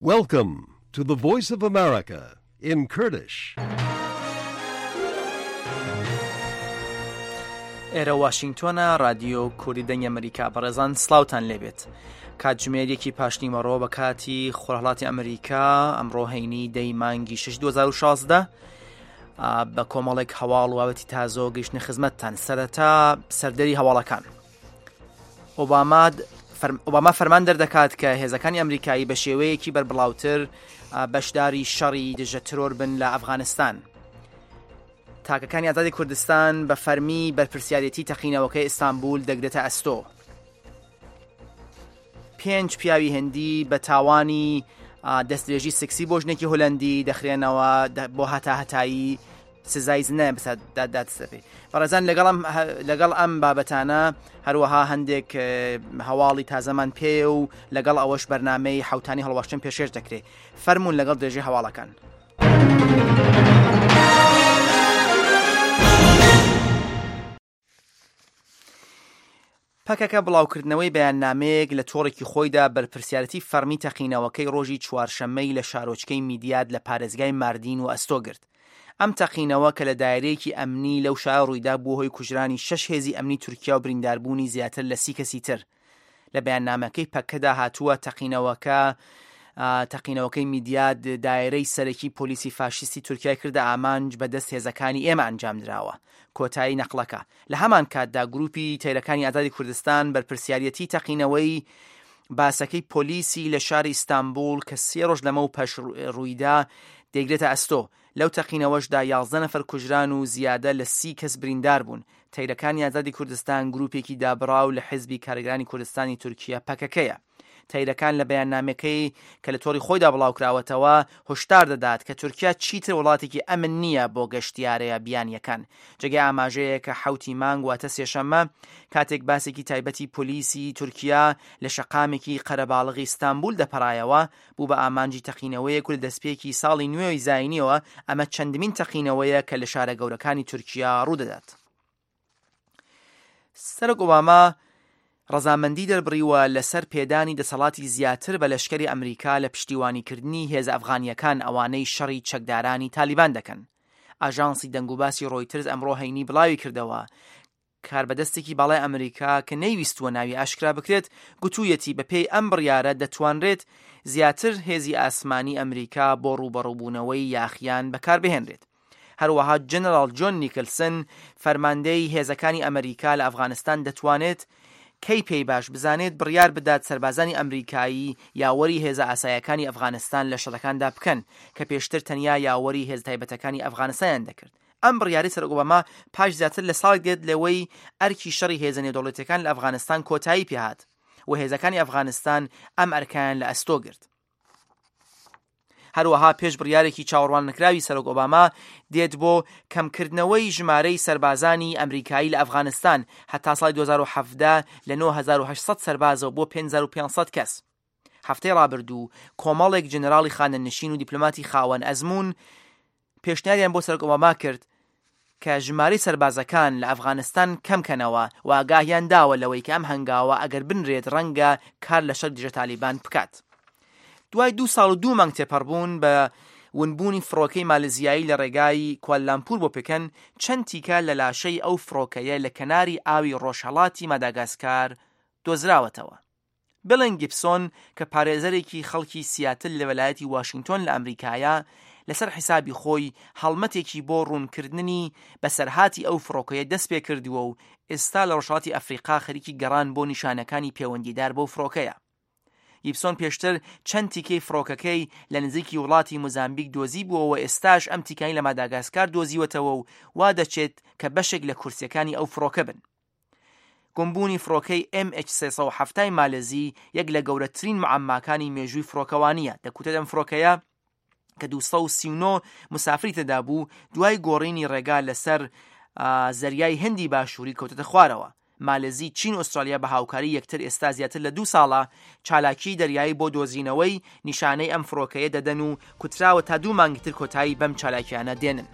Welcome to the Voice of America in Kurdish. ئێرە واشنگتۆنە رادیۆ کوردی دەنگی ئەمریکا بەڕێزان سلااوان لێبێت کاتژمێر یەکی پاشنیوەڕۆ بە کاتی خۆرهڵاتی ئەمریکا ئەمڕۆ هەینی دەی مانگی 6 2016 بە کۆمەڵێک هەواڵ وابەتی تازۆ گەیشتنە خزمەتتان سەرەتا سەردەری هەواڵەکان. ئۆباما فەرمان دەردەکات کە هێزەکانی ئەمریکایی بە شێوەیەکی بەربڵاوتر بەشداری شەڕی دژە ترۆر بن لە ئەفغانستان. تاکەکانی ئازادی کوردستان بە فەرمی بەرپرسیارێتی تەقینەوەکەی ئیستانبول دەگرێتە ئەستۆ. پێنج پیاوی هندی بە تاوانی دەستدرێژی سکسی بۆ ژنێکی هۆلەندی دەخرێنەوە بۆ هەتا هەتایی سزای زنایان بەسەردا دادسەپێ. بەڕێزان لەگەڵ ئەم لەگەڵ ئەم بابەتانە هەروەها هەندێک هەواڵی تازەمان پێیە و لەگەڵ ئەوەش بەرنمەی حوتانی هەڵواشتن پێشێش دەکرێت فەرمونون لەگەڵ درێژی هەواڵەکان. پەکەکە بڵاوکردنەوەی بەیاننامەیەک لە تۆڕێکی خۆیدا بەرپرسیارەتی فەڕمی تەقینەوەکەی ڕۆژی چوارشەممەی لە شارۆچکەی میدیاد لە پارێزگای ماردین وەئەستۆ گرت. ئەم تەقینەوە کە لە دایرەیەکی ئەمنی لەو شارە ڕوویدا بووە هۆی کوژرانی شەش هێزی ئەمنی تورکیا و برینداربوونی زیاتر لە سی کەسی تر. لە بەیاننامەکەی پەکەدا هاتووە تەقینەوەکە تەقینەوەکەی میدیاد دایرەی سەرەکی پۆلیسی فاشیستی تورکیای کردە ئامانج بە دەست هێزەکانی ئێمە ئەنجامدراوە. کۆتایی نەقڵەکە. لە هەمان کاتدا گروپی تەیرەکانی ئازادی کوردستان بەرپرسیاریەتی تەقینەوەی باسەکەی پۆلیسی لە شاری ئیستانبوڵ کە سێ ڕۆژ لەمەو پەش ڕوویدا دەیگرێتە ئەستۆ. لەو تەقینەوەشدا 11 نەفەر کوژران و زیادە لە سی کەس بریندار بوون. تەیرەکانی ئازادی کوردستان گروپێکی دابڕاو لە حیزبی کارگەرانی کوردستانی تورکیە پەکەکەیە. تەیرەکان لە بەیاننامەکەی کە لە تۆڕی خۆیدا بڵاوکراوەتەوە هۆشدار دەدات کە تورکیا چیتر وڵاتێکی ئەمن نییە بۆ گەشتیارە بیانییەکان. جێگای ئاماژەیە کە حەوتی مانگ واتە سێشەممە کاتێک باسێکی تایبەتی پۆلیسی تورکیا لە شەقامێکی قەرەباڵغی ئیستانبول دەپەڕایەوە بوو بە ئامانجی تەقینەوەیەک و لە دەستپێکی ساڵی نوێی زاینیەوە ئەمە چەندمین تەقینەوەیە کە لە شارە گەورەکانی تورکیا ڕوودەدات. سەرۆک ئۆباما ڕەزامەندی دەربڕیوە لەسەر پێدانی دەسەڵاتی زیاتر بە لەشکری ئەمریکا لە پشتیوانیکردنی هێزە ئەفغانییەکان ئەوانەی شەڕی چەکدارانی تالیبان دەکەن. ئاژانسی دەنگوباسی ڕۆیترز ئەمڕۆ هەینی بڵاویکردەوە، کاربەدەستێکی باڵای ئەمریکا کە نەیویستووە ناوی ئاشکرا بکرێت، گوتوویەتی بەپێی ئەم بڕیارە دەتوانرێت زیاتر هێزی ئاسمانی ئەمریکا بۆ ڕووبەڕووبوونەوەی یاخیان بەکاربهێنرێت. هەروەها جەنەراڵ جۆن نیکلسن، فەرماندەی هێزەکانی ئەمریکا لە ئەفغانستان دەتوانێت کەی پێی باش بزانێت بڕیار بدات سەربازانی ئەمریکایی یاوەری هێزە ئاسایەکانی ئەفغانستان لە شەڕەکاندا بکەن کە پێشتر تەنیا یاوەری هێزە تایبەتەکانی ئەفغانستانیان دەکرد. ئەم بڕیارەی سەرۆک ئۆباما پاش زیاتر لە ساڵێک دێت لەوەی ئەرکی شەڕی هێزە نێودەوڵەتیەکان لە ئەفغانستان کۆتایی پێهات و هێزەکانی ئەفغانستان ئەم ئەرکەیان لە ئەستۆ گرت. هەروەها پێش بڕیارێکی چاوەڕواننەکراوی سەرۆک ئۆباما دێت بۆ کەمکردنەوەی ژمارەی سەربازانی ئەمریکایی لە ئەفغانستان هەتا ساڵی 2017 لە 9800 سەربازەوە بۆ 5500 کەس. هەفتەی ڕابردوو کۆمەڵێک جەنەراڵی خانەنشین و دیپلۆماتی خاوەن ئەزموون پێشنیاریان بۆ سەرۆک ئۆباما کرد کە ژمارەی سەربازەکان لە ئەفغانستان کەم کەنەوە و ئاگاهیان داوە لەوەی کە ئەم هەنگاوە ئەگەر بنرێت ڕەنگە کار لە شەڕی دژە تالیبان بکات. دوای دوو ساڵ و دوو مانگ تێپەڕبوون بە ونبوونی فڕۆکەی مالزیایی لە ڕێگای کوالالامپور بۆ پکەن، چەند تیکە لە لاشەی ئەو فڕۆکەیە لە کەناری ئاوی ڕۆژهەڵاتی ماداگاسکار دۆزراوەتەوە. بلن گیبسۆن کە پارێزەرێکی خەڵکی سیاتل لە وەلایەتی واشینگتۆن لە ئەمریکایە، لەسەر حیسابی خۆی هەڵمەتێکی بۆ ڕوونکردنی بەسەرهاتی ئەو فڕۆکەیە دەستپێکردووە و ئێستا لە ڕۆژهەڵاتی ئەفریقا خەریکی گەڕان بۆ نیشانەکانی پێوەندیدار بەو فڕۆکەیە. گیبسۆن پێشتر چەند تیکەی فڕۆکەکەی لە نزیکی وڵاتی موزامبیک دۆزیبووەوە ئێستاش ئەم تیکانەی لە ماداگاسکار دۆزیوەتەوە و وا دەچێت کە بەشێک لە کورسییەکانی ئەو فڕۆکە بن. گومبوونی فڕۆکەی MH 370 ی مالزی یەک لە گەورەترین معەمماکانی مێژووی فڕۆکەوانییە، دەکوترێت ئەم فڕۆکەیە کە 239 مسافری تێدا بوو دوای گۆڕینی ڕێگا لەسەر زەریای هندی باشووری کەوتەتە خوارەوە. مالزی، چین و ئوسترالیا بە هاوکاری یەکتر ئێستا زیاتر لە دوو ساڵە چالاکیی دەریایی بۆ دۆزینەوەی نیشانەی ئەم فڕۆکەیە دەدەن و کوتراوە تا دوو مانگی تر کۆتایی بەم چالاکییانە دێنن.